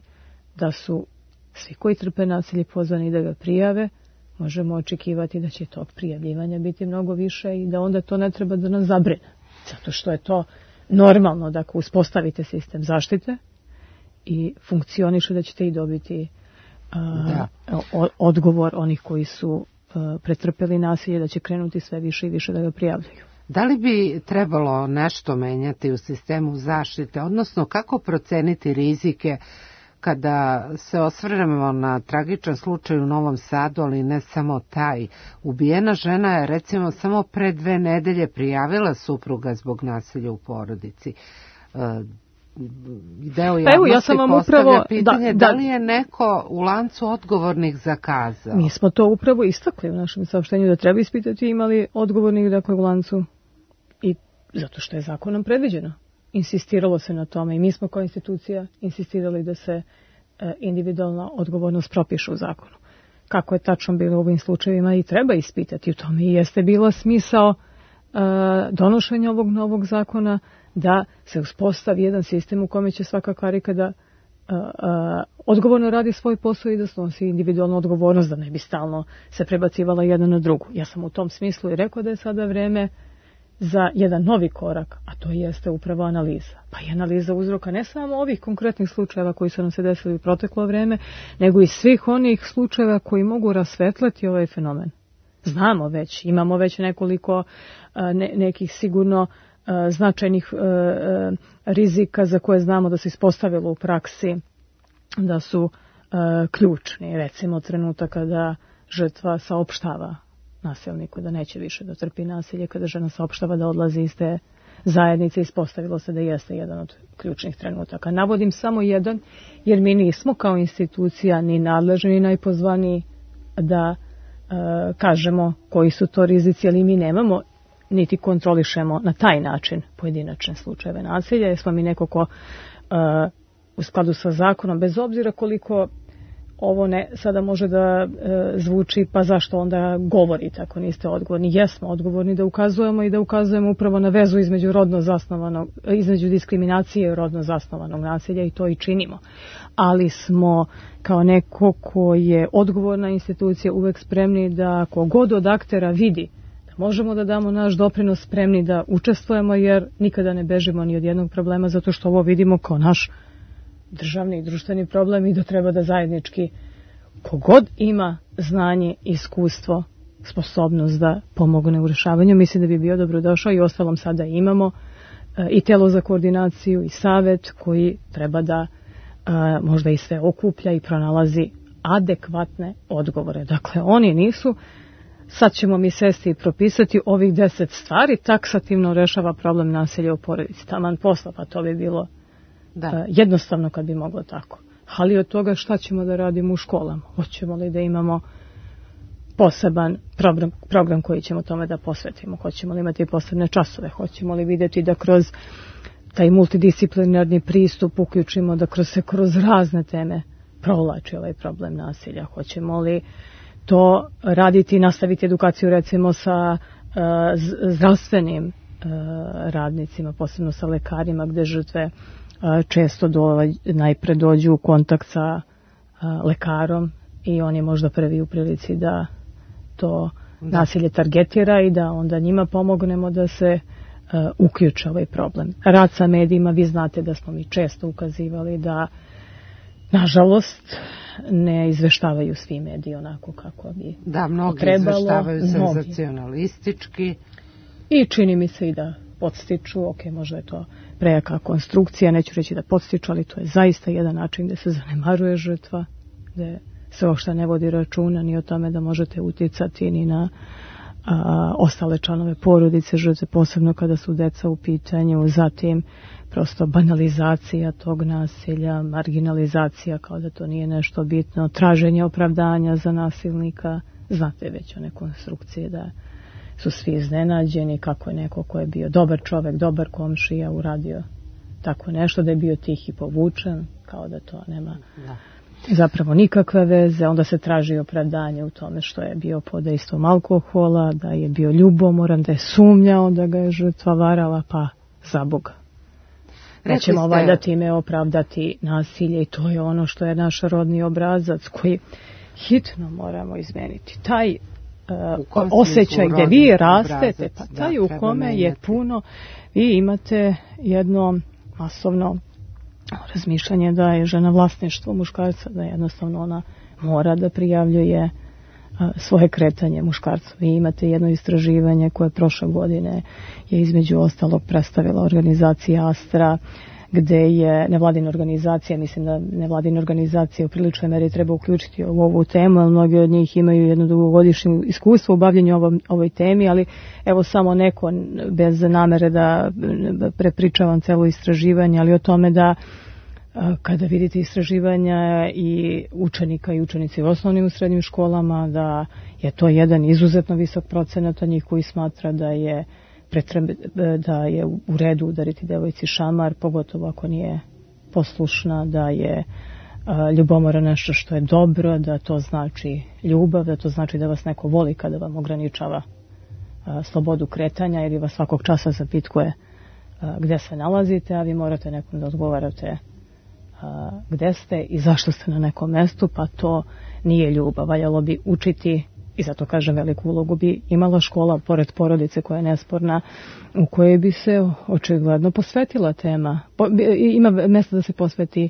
da su svi koji trpe nasilje pozvani da ga prijave, možemo očekivati da će tog prijavljivanja biti mnogo više i da onda to ne treba da nas zabrine. Zato što je to normalno da ako uspostavite sistem zaštite i funkcioniše da ćete i dobiti odgovor onih koji su pretrpeli nasilje, da će krenuti sve više i više da ga prijavljaju. Da li bi trebalo nešto menjati u sistemu zaštite, odnosno kako proceniti rizike kada se osvrnemo na tragičan slučaj u Novom Sadu, ali ne samo taj? Ubijena žena je recimo samo pre 2 nedelje prijavila supruga zbog nasilja u porodici. Deo javnosti postavlja pitanje da li je neko u lancu odgovornih zakazao. Mi smo to upravo istakli u našem saopštenju da treba ispitati imali odgovornih dakle u lancu i zato što je zakonom predviđeno. Insistiralo se na tome i mi smo kao institucija insistirali da se individualna odgovornost propiše u zakonu. Kako je tačno bilo u ovim slučajevima i treba ispitati, u tome i jeste bila smisao donošenja ovog novog zakona, da se uspostavi jedan sistem u kome će svaka karika da odgovorno radi svoj posao i da snosi individualnu odgovornost, da ne bi stalno se prebacivala jedna na drugu. Ja sam u tom smislu i rekao da je sada vreme za jedan novi korak, a to jeste upravo analiza. Pa i analiza uzroka ne samo ovih konkretnih slučajeva koji su nam se desili u proteklo vreme, nego i svih onih slučajeva koji mogu rasvetlati ovaj fenomen. Znamo već, imamo već nekoliko nekih sigurno značajnih rizika za koje znamo da se ispostavilo u praksi da su ključni. Recimo trenutak kada žrtva saopštava nasilniku da neće više da trpi nasilje, kada žena saopštava da odlazi iz te zajednice, ispostavilo se da jeste jedan od ključnih trenutaka. Navodim samo jedan, jer mi nismo kao institucija ni nadležni ni najpozvaniji da kažemo koji su to rizici, ali mi nemamo niti kontrolišemo na taj način pojedinačne slučajeve nasilja, jer smo mi neko ko u skladu sa zakonom, bez obzira koliko ovo sada može da zvuči, pa zašto onda govorite ako niste odgovorni. Jesmo odgovorni da ukazujemo i da ukazujemo upravo na vezu između diskriminacije i rodno zasnovanog nasilja i to i činimo. Ali smo kao neko ko je odgovorna institucija uvek spremni da kogod od aktera vidi da možemo da damo naš doprinos, spremni da učestvujemo, jer nikada ne bežimo ni od jednog problema, zato što ovo vidimo kao naš državni i društveni problem i da treba da zajednički kogod ima znanje, iskustvo, sposobnost da pomogne u rešavanju, mislim da bi bio dobrodošao i ostalom sada imamo i telo za koordinaciju i savet koji treba da možda i sve okuplja i pronalazi adekvatne odgovore. Dakle, oni nisu, sad ćemo mi sesti i propisati ovih 10 stvari, taksativno rešava problem nasilja u porodici. Taman posla, pa to bi bilo jednostavno kad bi moglo tako. Ali od toga šta ćemo da radimo u školama? Hoćemo li da imamo poseban program koji ćemo tome da posvetimo? Hoćemo li imati posebne časove? Hoćemo li vidjeti da kroz taj multidisciplinarni pristup uključimo, da kroz razne teme provlači ovaj problem nasilja. Hoćemo li to raditi, nastaviti edukaciju recimo sa zdravstvenim radnicima, posebno sa lekarima, gde žrtve često najpre dođu u kontakt sa lekarom i on je možda prvi u prilici da to nasilje targetira i da onda njima pomognemo da se uključe ovaj problem. Rad sa medijima, vi znate da smo mi često ukazivali da nažalost ne izveštavaju svi mediji onako kako bi mnogi trebalo. Izveštavaju senzacionalistički. I čini mi se i da podstiču, možda je to prejaka konstrukcija, neću reći da podstiču, ali to je zaista jedan način gde se zanemaruje žrtva, gde se uopšte ne vodi računa ni o tome da možete uticati ni na ostale članove porodice žrtve, posebno kada su deca u pitanju, zatim prosto banalizacija tog nasilja, marginalizacija kao da to nije nešto bitno, traženje opravdanja za nasilnika, znate već one konstrukcije da su svi iznenađeni kako je neko ko je bio dobar čovek, dobar komšija uradio tako nešto, da je bio tih i povučen, kao da to nema zapravo nikakve veze, onda se traži opravdanje u tome što je bio pod dejstvom alkohola, da je bio ljubomoran, da je sumnjao da ga je žrtva varala, pa za Boga. Nećemo valjda time opravdati nasilje i to je ono što je naš rodni obrazac koji hitno moramo izmeniti. Taj osjećaj gde vi rastete, pa taj u kome je puno, vi imate jedno masovno razmišljanje da je žena vlasništvo muškarca, da jednostavno ona mora da prijavljuje svoje kretanje muškarca. Vi imate jedno istraživanje koje prošle godine je između ostalog predstavila organizacija Astra, gde je nevladina organizacija, mislim da nevladine organizacije u priličnoj meri treba uključiti u ovu temu, ali mnogi od njih imaju jedno dugogodišnje iskustvo u bavljanju ovoj temi, ali evo samo neko, bez namere da prepričavam celo istraživanje, ali o tome da kada vidite istraživanja i učenika i učenici u osnovnim i srednjim školama, da je to jedan izuzetno visok procenat njih koji smatra da je u redu udariti devojci šamar, pogotovo ako nije poslušna, da je ljubomora nešto što je dobro, da to znači ljubav, da to znači da vas neko voli kada vam ograničava slobodu kretanja ili vas svakog časa zapitkuje gde se nalazite, a vi morate nekom da odgovarate gde ste i zašto ste na nekom mestu, pa to nije ljubav. Valjalo bi učiti, i zato kažem veliku ulogu bi imala škola, pored porodice koja je nesporna, u kojoj bi se očigledno posvetila tema. Ima mesta da se posveti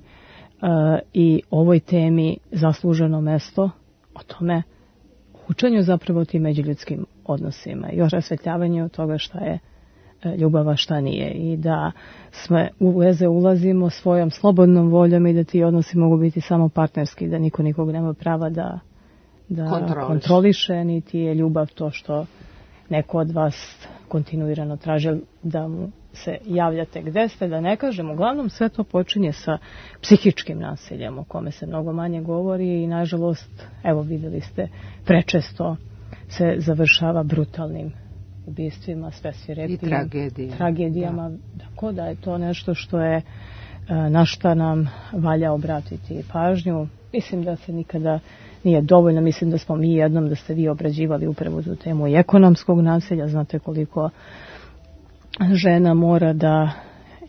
i ovoj temi zasluženo mesto, o tome učenju zapravo o tim međuljudskim odnosima i o rasvetljavanju toga šta je ljubava, šta nije, i da sve u veze ulazimo svojom slobodnom voljom i da ti odnosi mogu biti samo partnerski, da niko nikog nema prava da kontroliše, niti je ljubav to što neko od vas kontinuirano traži da mu se javljate gde ste, da ne kažem, uglavnom sve to počinje sa psihičkim nasiljem o kome se mnogo manje govori i nažalost, evo videli ste, prečesto se završava brutalnim ubistvima, sve svirepijim tragedijama, tako da je to nešto što je na šta nam valja obratiti pažnju. Mislim da se nikada nije dovoljno, mislim da smo mi jednom, da ste vi obrađivali upravo tu temu i ekonomskog nasilja, znate koliko žena mora da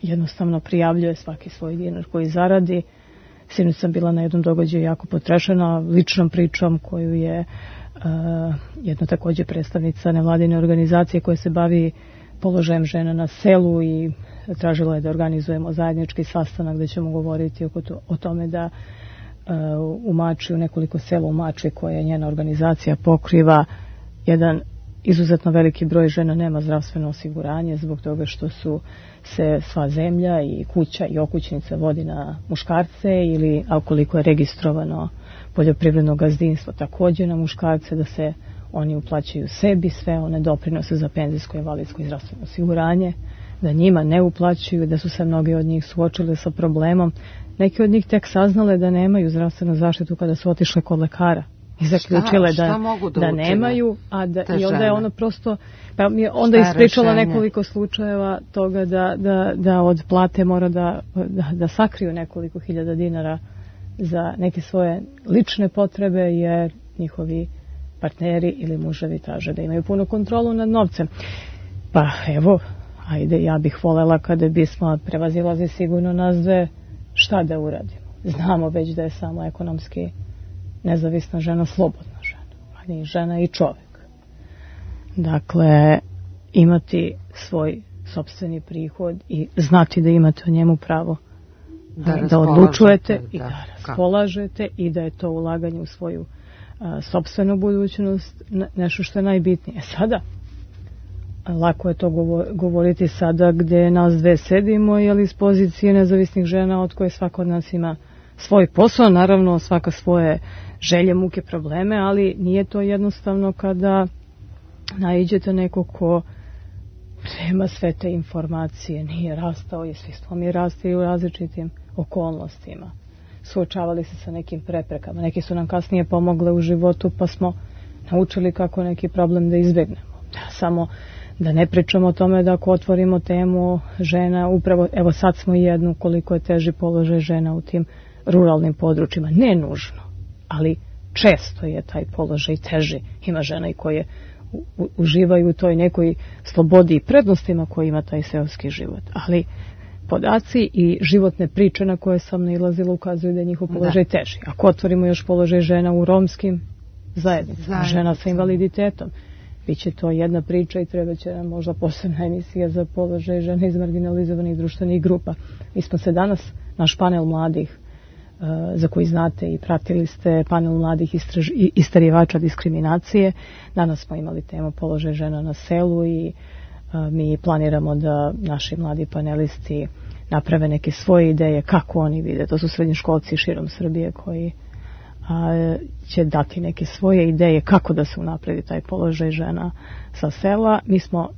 jednostavno prijavljuje svaki svoj dinar koji zaradi. Sinoć sam bila na jednom događaju jako potrešena ličnom pričom koju je jedna takođe predstavnica nevladine organizacije koja se bavi položajem žena na selu i tražila je da organizujemo zajednički sastanak gde ćemo govoriti o tome da u Mačvi, u nekoliko sela u Mačvi koje njena organizacija pokriva, jedan izuzetno veliki broj žena nema zdravstveno osiguranje zbog toga što su se sva zemlja i kuća i okućnica vodi na muškarce ili ukoliko je registrovano poljoprivredno gazdinstvo takođe na muškarce, da se oni uplaćaju sebi sve one doprinose za penzijsko, invalidsko i zdravstveno osiguranje, da njima ne uplaćuju, da su se mnogi od njih suočili sa problemom. Neki od njih tek saznale da nemaju zdravstvenu zaštitu kada su otišle kod lekara i zaključile da nemaju, i onda je ono prosto, pa mi je onda ispričala nekoliko slučajeva toga da od plate mora da sakriju nekoliko hiljada dinara za neke svoje lične potrebe, jer njihovi partneri ili muževi traže da imaju punu kontrolu nad novcem. Pa evo, ajde, ja bih volela kada bismo prevazilazi sigurno nas dve, šta da uradimo. Znamo već da je samo ekonomski nezavisna žena slobodna žena, ali i žena i čovjek. Dakle, imati svoj sopstveni prihod i znati da imate o njemu pravo da odlučujete i da raspolažete i da je to ulaganje u svoju sopstvenu budućnost nešto što je najbitnije. Sada, lako je to govoriti sada gdje nas dve sedimo, ali iz pozicije nezavisnih žena od koje svaka od nas ima svoj posao, naravno svaka svoje želje, muke, probleme, ali nije to jednostavno kada naiđete neko ko nema sve te informacije, nije rastao i svi smo mi rasti u različitim okolnostima. Suočavali se sa nekim preprekama. Neki su nam kasnije pomogle u životu, pa smo naučili kako neki problem da izbjegnemo. Samo da ne pričamo o tome da ako otvorimo temu žena, upravo, evo sad smo jednu, koliko je teži položaj žena u tim ruralnim područjima. Ne nužno, ali često je taj položaj teži. Ima žena i koje uživaju u toj nekoj slobodi i prednostima koje ima taj seoski život. Ali podaci i životne priče na koje sam nailazila ukazuju da je njihov položaj teži. Ako otvorimo još položaj žena u romskim zajednicama, žena sa invaliditetom, biće to jedna priča i treba će nam možda posebna emisija za položaj žena iz marginalizovanih društvenih grupa. Mi smo se danas, naš panel mladih, za koji znate i pratili ste panel mladih istraživača diskriminacije, danas smo imali temu položaj žena na selu i mi planiramo da naši mladi panelisti naprave neke svoje ideje kako oni vide. To su srednjoškolci širom Srbije koji će dati neke svoje ideje kako da se unapredi taj položaj žena sa sela. Mi smo,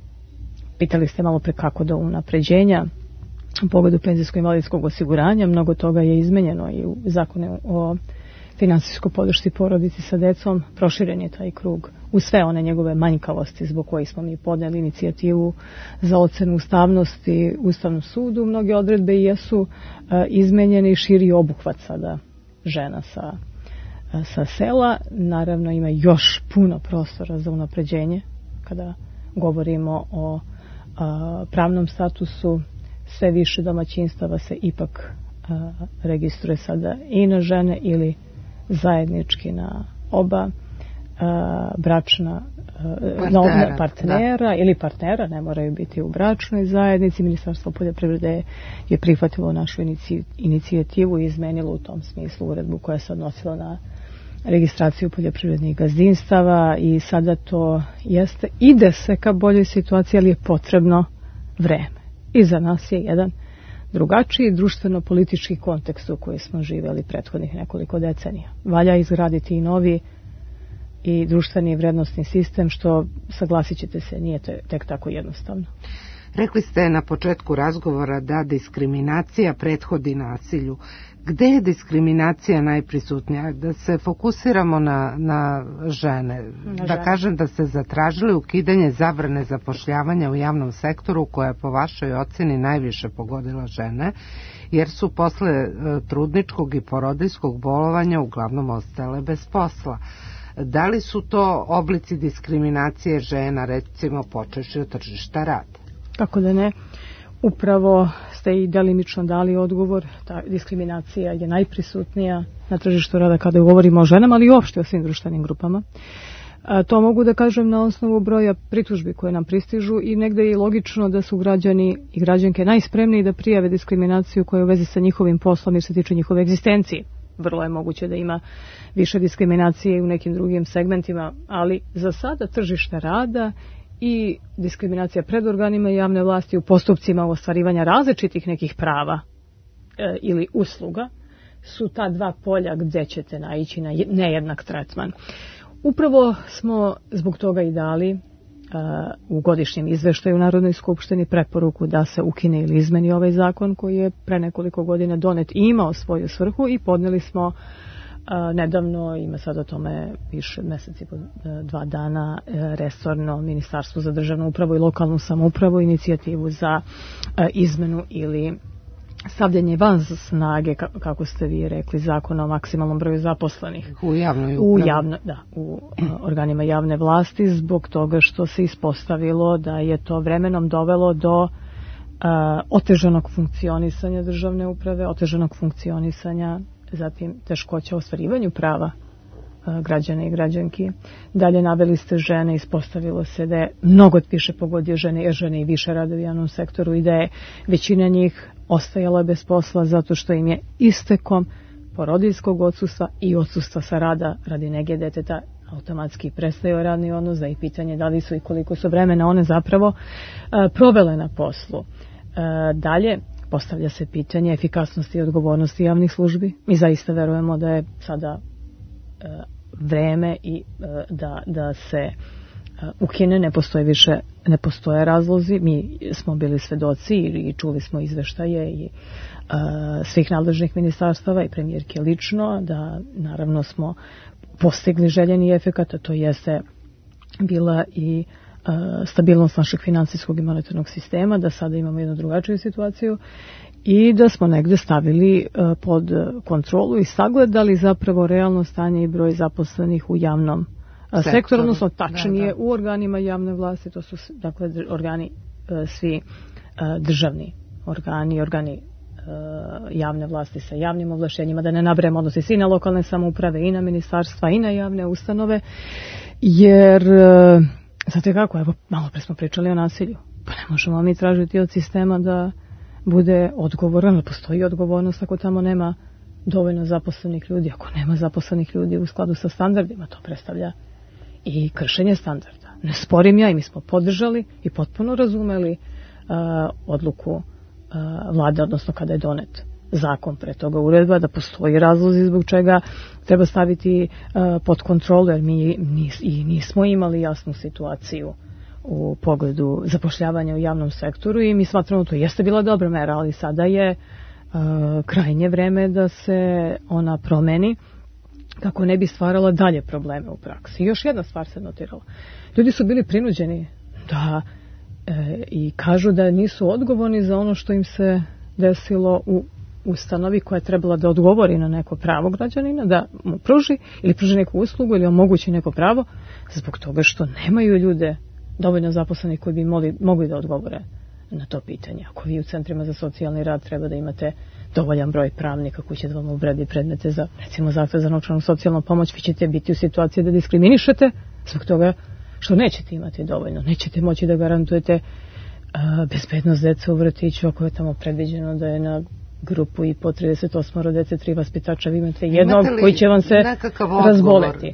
pitali ste malo pre kako do unapređenja u pogledu penzijsko-invalidskog osiguranja, mnogo toga je izmenjeno i u zakonu o finansijskoj podršci porodici sa decom, proširen je taj krug u sve one njegove manjkavosti zbog kojih smo mi podneli inicijativu za ocenu ustavnosti Ustavnom sudu. Mnoge odredbe jesu izmenjene i širi obuhvat sada žena sa sela. Naravno ima još puno prostora za unapređenje kada govorimo o pravnom statusu. Sve više domaćinstava se ipak registruje sada i na žene ili zajednički na oba bračna partnera ili partnera, ne moraju biti u bračnoj zajednici. Ministarstvo poljoprivrede je prihvatilo našu inicijativu i izmenilo u tom smislu uredbu koja se odnosila na registraciju poljoprivrednih gazdinstava i sada to jeste, ide se ka boljoj situaciji, ali je potrebno vreme. I za nas je jedan drugačiji društveno-politički kontekst u koji smo živjeli prethodnih nekoliko decenija. Valja izgraditi i novi i društveni vrednostni sistem, što, saglasit ćete se, nije tek tako jednostavno. Rekli ste na početku razgovora da diskriminacija prethodi nasilju. Gde je diskriminacija najprisutnija? Da se fokusiramo na žene. Da kažem da ste zatražili ukidanje zabrane zapošljavanja u javnom sektoru koja je po vašoj ocjeni najviše pogodila žene, jer su posle trudničkog i porodiljskog bolovanja uglavnom ostale bez posla. Da li su to oblici diskriminacije žena, recimo počevši od tržišta rada? Tako da ne. Upravo ste i delimično dali odgovor. Ta diskriminacija je najprisutnija na tržištu rada kada govorimo o ženama, ali i uopšte o svim društvenim grupama. To mogu da kažem na osnovu broja pritužbi koje nam pristižu i negde je logično da su građani i građanke najspremniji da prijave diskriminaciju koja je u vezi sa njihovim poslom jer se tiče njihove egzistencije. Vrlo je moguće da ima više diskriminacije u nekim drugim segmentima, ali za sada tržište rada i diskriminacija pred organima javne vlasti u postupcima ostvarivanja različitih nekih prava ili usluga su ta dva polja gdje ćete naići na nejednak tretman. Upravo smo zbog toga i dali u godišnjem izveštaju u Narodnoj skupštini preporuku da se ukine ili izmeni ovaj zakon koji je pre nekoliko godina donet i imao svoju svrhu i podnijeli smo nedavno, ima sad o tome više meseci, 2 dana, resorno Ministarstvo za državnu upravu i lokalnu samoupravu inicijativu za izmenu ili stavljanje van snage, kako ste vi rekli, zakona o maksimalnom broju zaposlenih u javnoj upravi. U organima javne vlasti, zbog toga što se ispostavilo da je to vremenom dovelo do otežanog funkcionisanja državne uprave, otežanog funkcionisanja, zatim teškoća u ostvarivanju prava građana i građanki. Dalje naveli ste žene, ispostavilo se da je mnogo više pogodio žene, jer žene i više rade u javnom sektoru i da je većina njih ostajala bez posla zato što im je istekom porodiljskog odsustva i odsustva sa rada radi nege deteta automatski prestao radni odnos, da i pitanje da li su i koliko su vremena one zapravo provele na poslu. Dalje, postavlja se pitanje efikasnosti i odgovornosti javnih službi. Mi zaista verujemo da je sada vreme i da se ukine, ne postoje razlozi. Mi smo bili svedoci i čuli smo izveštaje i svih nadležnih ministarstava i premijerke lično, da naravno smo postigli željeni efekat, a to jeste bila i stabilnost našeg finansijskog i monetarnog sistema, da sada imamo jednu drugačiju situaciju i da smo negde stavili pod kontrolu i sagledali zapravo realno stanje i broj zaposlenih u javnom sektoru, odnosno tačnije u organima javne vlasti, to su dakle organi svi državni organi javne vlasti sa javnim ovlaštenjima, da ne nabrajamo, odnosi se i na lokalne samouprave i na ministarstva i na javne ustanove, jer znate kako, evo malo pre smo pričali o nasilju, pa ne možemo mi tražiti od sistema da bude odgovoran, postoji odgovornost ako tamo nema dovoljno zaposlenih ljudi, ako nema zaposlenih ljudi u skladu sa standardima, to predstavlja i kršenje standarda. Ne sporim ja i mi smo podržali i potpuno razumeli odluku vlade, odnosno kada je donet zakon, pre toga uredba, da postoji razlozi zbog čega treba staviti pod kontrolu, jer mi nismo imali jasnu situaciju u pogledu zapošljavanja u javnom sektoru i mi smatramo to jeste bila dobra mera, ali sada je krajnje vreme da se ona promeni kako ne bi stvarala dalje probleme u praksi. I još jedna stvar se notirala. Ljudi su bili prinuđeni da i kažu da nisu odgovorni za ono što im se desilo u ustanovi koja je trebala da odgovori na neko pravo građanina, da mu pruži ili pruži neku uslugu ili omogući neko pravo, zbog toga što nemaju ljude dovoljno zaposlenih koji bi mogli da odgovore na to pitanje. Ako vi u centrima za socijalni rad treba da imate dovoljan broj pravnika koji će da vam obradi predmete za, recimo, zahtev za novčanu socijalnu pomoć, vi ćete biti u situaciji da diskriminišete zbog toga što nećete imati dovoljno. Nećete moći da garantujete bezbednost dece u vrtiću ako je tamo predviđeno da je na grupu i po 38 dece 3 vaspitača, vi imate jednog koji će vam se razboleti.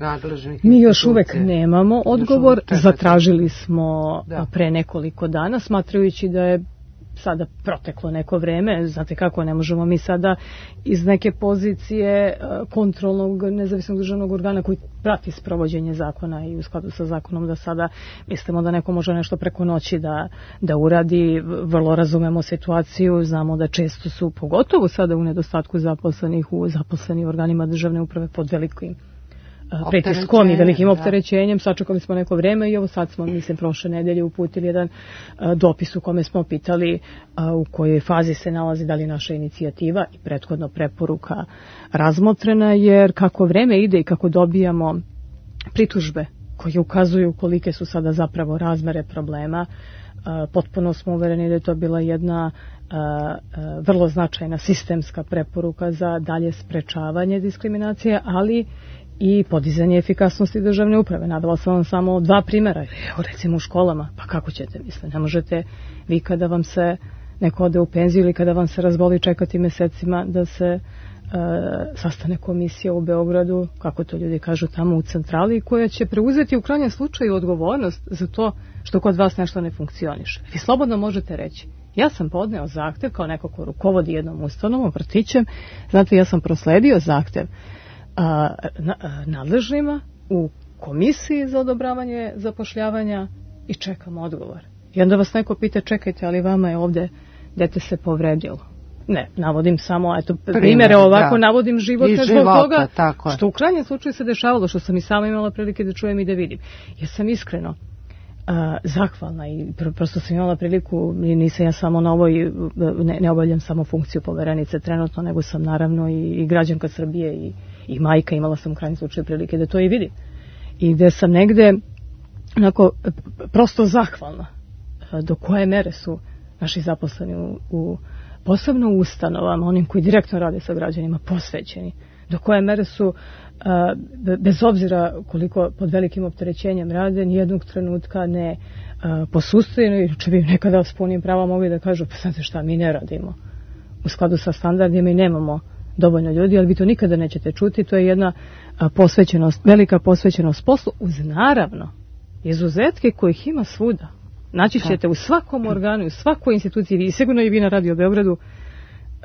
Mi još uvek nemamo odgovor, zatražili smo pre nekoliko dana, smatrajući da je sada proteklo neko vreme, znate kako, ne možemo mi sada iz neke pozicije kontrolnog nezavisnog državnog organa koji prati sprovođenje zakona i u skladu sa zakonom da sada mislimo da neko može nešto preko noći da uradi. Vrlo razumemo situaciju, znamo da često su, pogotovo sada u nedostatku zaposlenih u zaposlenih organima državne uprave pod velikim pritiskom i velikim opterećenjem. Sačekali smo neko vreme i evo sad smo, mislim, prošle nedelje uputili jedan dopis u kome smo pitali u kojoj fazi se nalazi, da li naša inicijativa i prethodno preporuka razmotrena, jer kako vreme ide i kako dobijamo pritužbe koje ukazuju kolike su sada zapravo razmere problema, potpuno smo uvereni da je to bila jedna vrlo značajna sistemska preporuka za dalje sprečavanje diskriminacije, ali i podizanje efikasnosti državne uprave. Navela sam vam samo 2 primjera. Evo, recimo u školama, pa kako ćete, mislim, ne možete vi kada vam se neko ode u penziju ili kada vam se razboli čekati mesecima da se sastane komisija u Beogradu, kako to ljudi kažu, tamo u centrali, koja će preuzeti u krajnjem slučaju odgovornost za to što kod vas nešto ne funkcioniše. Vi slobodno možete reći, ja sam podneo zahtev kao neko ko rukovodi jednom ustanovom, vrtićem, znate, ja sam prosledio zahtev nadležnima u komisiji za odobravanje zapošljavanja i čekamo odgovor. I onda vas neko pita, čekajte, ali vama je ovde dete se povredilo. Ne, navodim samo, eto, primjere ovako, navodim životne zbog toga, što u krajnjem slučaju se dešavalo, što sam i sama imala prilike da čujem i da vidim. Ja sam iskreno zahvalna i prosto sam imala priliku, nisam ja samo na ovoj, ne obavljam samo funkciju poverenice trenutno, nego sam naravno i građanka Srbije i majka, imala sam u krajnjem slučaju prilike da to i vidim. I gde sam negde onako prosto zahvalna do koje mere su naši zaposleni posebno u ustanovama, onim koji direktno rade sa građanima, posvećeni, do koje mere su, bez obzira koliko pod velikim opterećenjem rade, nijednog trenutka ne posustaju, če bi nekada s punim pravom mogli da kažu, pa znate šta, mi ne radimo u skladu sa standardima i nemamo dovoljno ljudi, ali vi to nikada nećete čuti. To je jedna posvećenost, velika posvećenost poslu, uz naravno izuzetke kojih ima svuda. Naći ćete u svakom organu, u svakoj instituciji, i sigurno i vi na Radio Beogradu,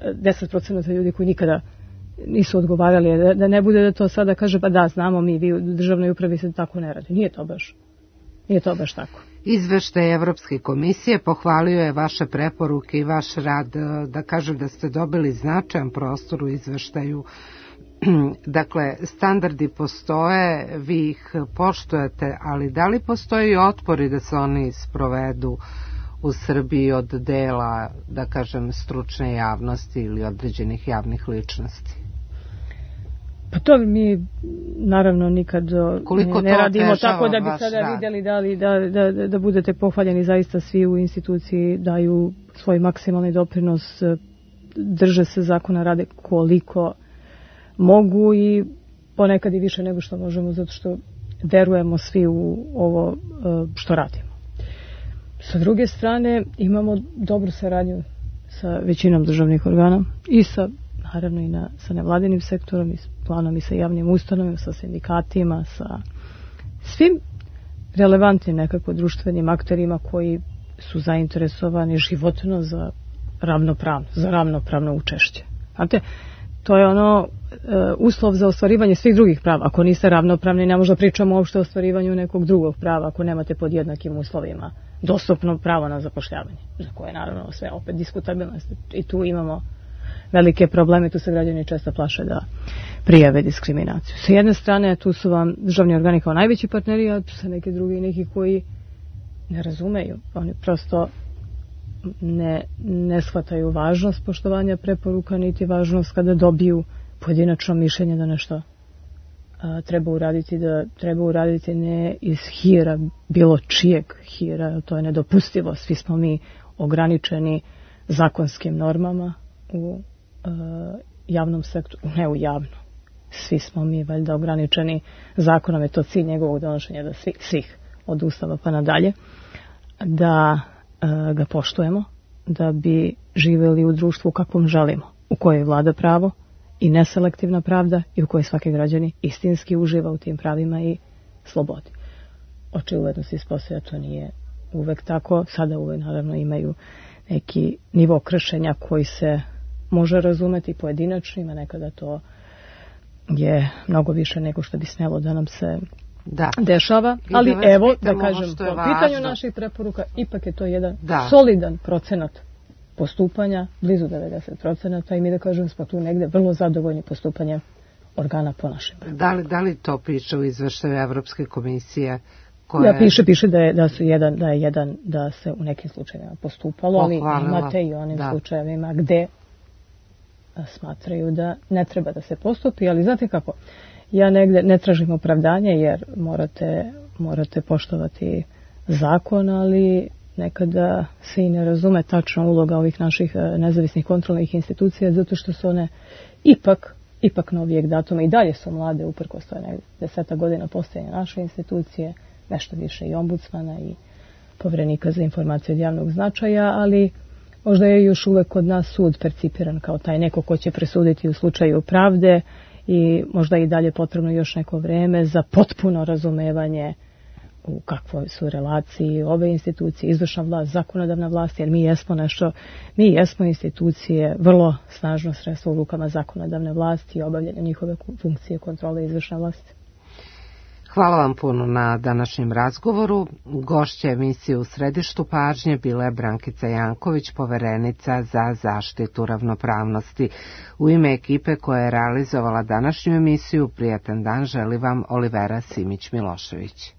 10% ljudi koji nikada nisu odgovarali, da ne bude da to sada kaže, pa da, znamo mi, vi u državnoj upravi se tako ne radi. Nije to baš tako. Izveštaj Evropske komisije pohvalio je vaše preporuke i vaš rad, da kažem da ste dobili značajan prostor u izveštaju. Dakle, standardi postoje, vi ih poštujete, ali da li postoji otpori da se oni sprovedu u Srbiji od dela, da kažem, stručne javnosti ili određenih javnih ličnosti? Pa to mi naravno nikad ne radimo tako da bi sada vidjeli da budete pohvaljeni. Zaista svi u instituciji daju svoj maksimalni doprinos, drže se zakona, rade koliko mogu i ponekad i više nego što možemo, zato što verujemo svi u ovo što radimo. Sa druge strane, imamo dobru saradnju sa većinom državnih organa i naravno i sa nevladinim sektorom, i s planom i sa javnim ustanovima, sa sindikatima, sa svim relevantnim nekako društvenim akterima koji su zainteresovani životno za ravnopravno učešće. Znate, to je uslov za ostvarivanje svih drugih prava. Ako niste ravnopravni, ne možda pričamo uopšte o ostvarivanju nekog drugog prava, ako nemate pod jednakim uslovima dostupno pravo na zapošljavanje, za koje naravno sve opet diskutabilno. I tu imamo velike probleme, tu se građani često plaše da prijave diskriminaciju. Sa jedne strane, tu su vam državni organi kao najveći partneri, a tu su neki drugi, neki koji ne razumeju. Oni prosto ne shvataju važnost poštovanja preporuka, niti važnost kada dobiju pojedinačno mišljenje da nešto treba uraditi ne iz hira, bilo čijeg hira, to je nedopustivo. Svi smo mi ograničeni zakonskim normama u javnom sektoru, ne u javnom. Svi smo mi valjda ograničeni zakonom, je to cilj njegovog donošenja, da svih od Ustava pa nadalje, da ga poštujemo, da bi živjeli u društvu kakvom želimo, u kojoj vlada pravo i neselektivna pravda i u kojoj svaki građani istinski uživa u tim pravima i slobodi. Očigledno se ispostavlja, to nije uvek tako. Sada uvek naravno imaju neki nivo kršenja koji se može razumeti pojedinačnima, nekada to je mnogo više nego što bi smjelo da nam se dešava, ali evo da kažem, po pitanju naših preporuka ipak je to jedan solidan procenat postupanja, blizu 90%, i mi da kažem smo tu negde vrlo zadovoljni postupanjem organa po našim preporukama. Da li to piše u izveštaju Evropske komisije? Piše da se u nekim slučajevima postupalo, ali imate i onim slučajevima gde smatraju da ne treba da se postupi, ali znate kako, ja negde ne tražim opravdanje jer morate poštovati zakon, ali nekada se i ne razume tačna uloga ovih naših nezavisnih kontrolnih institucija, zato što su one ipak novijeg datuma i dalje su mlade, uprkos to je 10 godina postojanja naše institucije, nešto više i ombudsmana i Poverenika za informacije od javnog značaja, ali možda je još uvek kod nas sud percipiran kao taj neko ko će presuditi u slučaju pravde i možda i dalje potrebno još neko vreme za potpuno razumevanje u kakvoj su relaciji ove institucije, izvršna vlast, zakonodavna vlast, jer mi jesmo institucije, vrlo snažno sredstvo u rukama zakonodavne vlasti i obavljanja njihove funkcije kontrole izvršne vlasti. Hvala vam puno na današnjem razgovoru. Gošća emisije U središtu pažnje bila je Brankica Janković, poverenica za zaštitu ravnopravnosti. U ime ekipe koja je realizovala današnju emisiju, prijatan dan želi vam Olivera Simić-Milošević.